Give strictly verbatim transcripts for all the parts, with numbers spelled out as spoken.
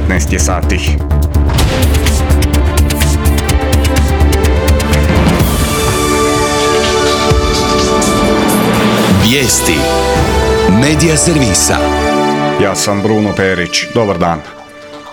devetnaest je sati. Vijesti Medija servisa. Ja sam Bruno Perić. Dobar dan.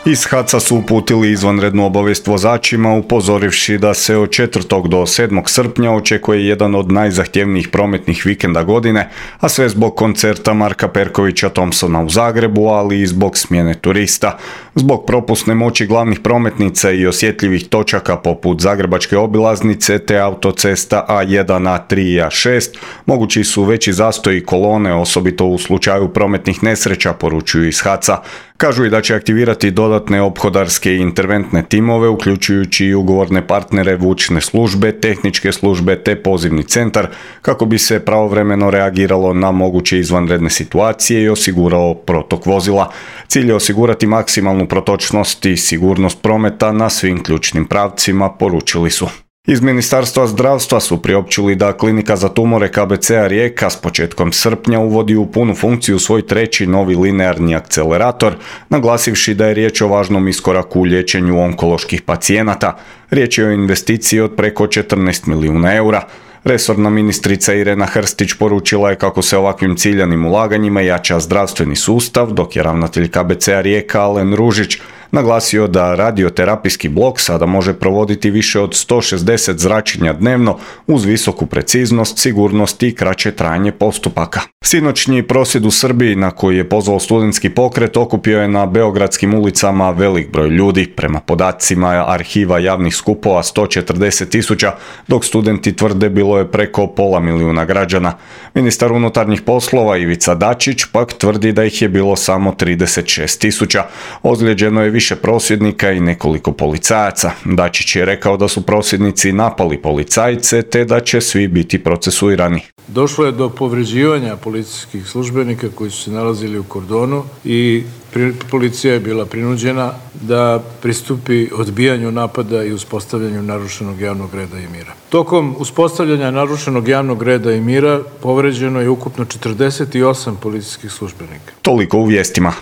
Iz HAC-a su uputili izvanrednu obavijest vozačima upozorivši da se od četvrtog do sedmog srpnja očekuje jedan od najzahtjevnijih prometnih vikenda godine, a sve zbog koncerta Marka Perkovića Thompsona u Zagrebu, ali i zbog smjene turista. Zbog propusne moći glavnih prometnica i osjetljivih točaka poput Zagrebačke obilaznice te autocesta A jedan, A tri i A šest, mogući su veći zastoji kolone, osobito u slučaju prometnih nesreća, poručuju iz HAC-a. Kažu i da će aktivirati dodatne ophodarske i interventne timove, uključujući i ugovorne partnere, vučne službe, tehničke službe te pozivni centar, kako bi se pravovremeno reagiralo na moguće izvanredne situacije i osigurao protok vozila. Cilj je osigurati maksimalnu protočnost i sigurnost prometa na svim ključnim pravcima, poručili su. Iz Ministarstva zdravstva su priopćili da Klinika za tumore K B C-a Rijeka s početkom srpnja uvodi u punu funkciju svoj treći novi linearni akcelerator, naglasivši da je riječ o važnom iskoraku u liječenju onkoloških pacijenata. Riječ je o investiciji od preko četrnaest milijuna eura. Resorna ministrica Irena Hrstić poručila je kako se ovakvim ciljanim ulaganjima jača zdravstveni sustav, dok je ravnatelj K B C-a Rijeka Alen Ružić naglasio da radioterapijski blok sada može provoditi više od sto šezdeset zračenja dnevno uz visoku preciznost, sigurnost i kraće trajanje postupaka. Sinoćnji prosvjed u Srbiji, na koji je pozvao studentski pokret, okupio je na beogradskim ulicama velik broj ljudi. Prema podacima arhiva javnih skupova sto četrdeset tisuća, dok studenti tvrde bilo je preko pola milijuna građana. Ministar unutarnjih poslova Ivica Dačić pak tvrdi da ih je bilo samo trideset šest tisuća. Ozlijeđeno je više prosvjednika i nekoliko policajaca. Dačić je rekao da su prosvjednici napali policajce te da će svi biti procesuirani. Došlo je do povređivanja policijskih službenika koji su se nalazili u kordonu i policija je bila prinuđena da pristupi odbijanju napada i uspostavljanju narušenog javnog reda i mira. Tokom uspostavljanja narušenog javnog reda i mira povređeno je ukupno četrdeset osam policijskih službenika. Toliko u vijestima.